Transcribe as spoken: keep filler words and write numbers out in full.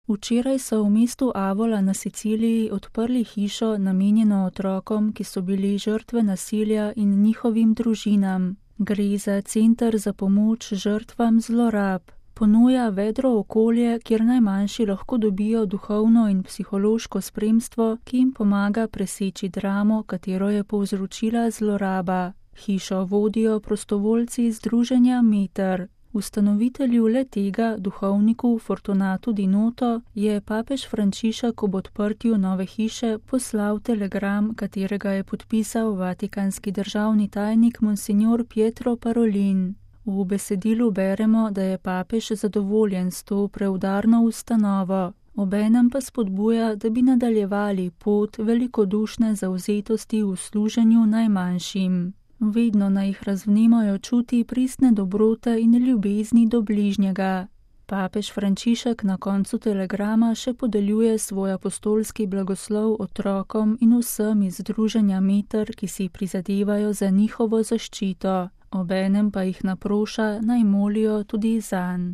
Včeraj so v mestu Avola na Siciliji odprli hišo, namenjeno otrokom, ki so bili žrtve nasilja in njihovim družinam. Gre za center za pomoč žrtvam zlorab. Ponuja vedro okolje, kjer najmanjši lahko dobijo duhovno in psihološko spremstvo, ki jim pomaga preseči dramo, katero je povzročila zloraba. Hišo vodijo prostovoljci iz združenja Meter. Ustanovitelju le tega, duhovniku Fortunatu Di Noto, je papež Frančišek ob odprtju nove hiše poslal telegram, katerega je podpisal vatikanski državni tajnik Monsignor Pietro Parolin. V besedilu beremo, da je papež zadovoljen s to preudarno ustanovo, obenem pa spodbuja, da bi nadaljevali pot velikodušne zavzetosti v služenju najmanjšim. Vedno naj jih razvnemajo čuti pristne dobrote in ljubezni do bližnjega. Papež Frančišek na koncu telegrama še podeljuje svoj apostolski blagoslov otrokom in vsem iz združenja Meter, ki si prizadevajo za njihovo zaščito. Obenem pa jih naproša, naj molijo tudi zanj.